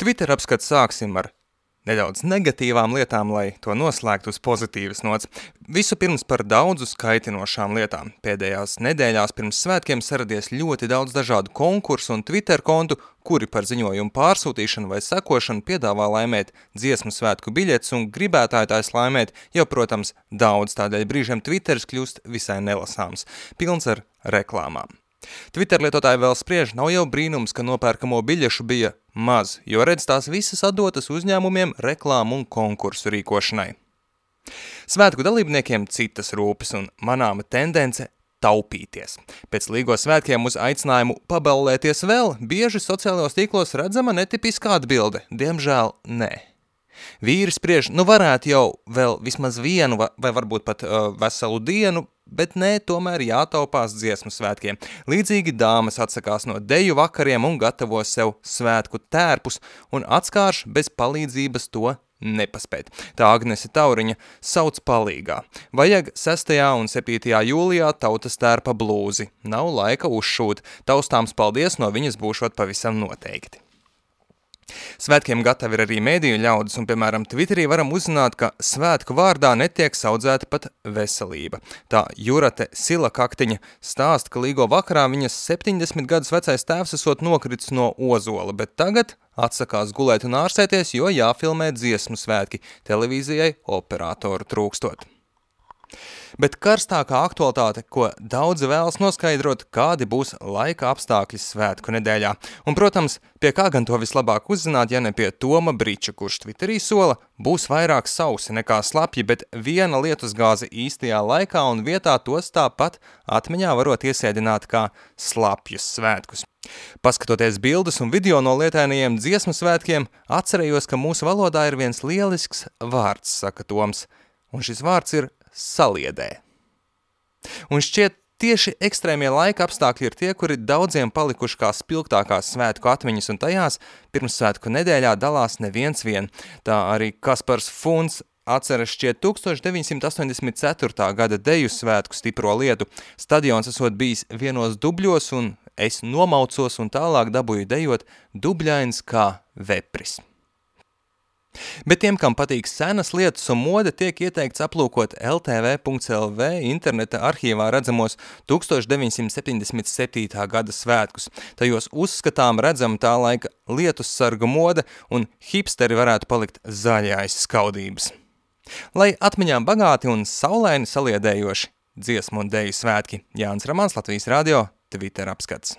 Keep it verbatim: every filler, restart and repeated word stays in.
Twitter apskats sāksim ar nedaudz negatīvām lietām, lai to noslēgtu uz pozitīvas nots. Visu pirms par daudzu skaitinošām lietām. Pēdējās nedēļās pirms svētkiem saradies ļoti daudz dažādu konkursu un Twitter kontu, kuri par ziņojumu pārsūtīšanu vai sekošanu piedāvā laimēt dziesmu svētku biļetes un gribētājtājs laimēt jau, protams, daudz, tādēļ brīžiem Twitteris kļūst visai nelasāms, pilns ar reklāmām. Twitter lietotāji vēl spriež, nav jau brīnums, ka nopērkamo biļešu bija maz, jo redz tās visas atdotas uzņēmumiem reklāmu un konkursu rīkošanai. Svētku dalībniekiem citas rūpes un manāma tendence taupīties. Pēc Līgo svētkiem uz aicinājumu paballēties vēl, bieži sociālajos tīklos redzama netipiskā atbilde, diemžēl nē. Vīri spriež, nu varētu jau vēl vismaz vienu vai varbūt pat uh, veselu dienu, bet nē, tomēr jātaupās dziesmu svētkiem. Līdzīgi dāmas atsakās no deju vakariem un gatavo sev svētku tērpus un atskārš bez palīdzības to nepaspēt. Tā Agnese Tauriņa sauc palīgā. Vajag sestajā un septītajā jūlijā tautas tērpa blūzi. Nav laika uzšūt. Taustāms paldies no viņas būšot pavisam noteikti. Svētkiem gatavi ir arī mēdīju ļaudis, un, piemēram, Twitterī varam uzzināt, ka svētku vārdā netiek saudzēta pat veselība. Tā Jurate Silakaktiņa stāsta, ka Līgo vakarā viņas septiņdesmit gadus vecais tēvs esot nokritis no ozola, bet tagad atsakās gulēt un ārsēties, jo jāfilmē dziesmu svētki, televīzijai operatoru trūkstot. Bet karstākā aktualitāte, ko daudzi vēlas noskaidrot, kādi būs laika apstākļi svētku nedēļā. Un, protams, pie kā gan to vislabāk uzzināt, ja ne pie Toma Briča, kurš Twitterī sola, būs vairāk sausi nekā slapji, bet viena lietusgāze īstajā laikā un vietā tos tāpat atmiņā varot iesēdināt kā slapjus svētkus. Paskatoties bildes un video no lietainajiem dziesmu svētkiem, atcerējos, ka mūsu valodā ir viens lielisks vārds, saka Toms, un šis vārds ir saliedē. Un šķiet, tieši ekstrēmie laika apstākļi ir tie, kuri daudziem palikuši kā spilgtākās svētku atmiņas, un tajās pirmssvētku nedēļā dalās neviens vien. Tā arī Kaspars Funds atceras šķiet tūkstoš deviņsimt astoņdesmit ceturtā gada deju svētku stipro lietu. Stadions esot bijis vienos dubļos, un es nomaucos un tālāk dabūju dejot dubļains kā vepris. Bet tiem, kam patīk senas lietas un mode, tiek ieteikts aplūkot L T V punkts L V interneta arhīvā redzamos tūkstoš deviņsimt septiņdesmit septītā gada svētkus. Tajos uzskatām redzam tā laika lietus sargu mode un hipsteri varētu palikt zaļājas skaudības. Lai atmiņām bagāti un saulaini saliedējoši dziesmu un deju svētki, Jānis Ramāns, Latvijas radio, Twitter apskats.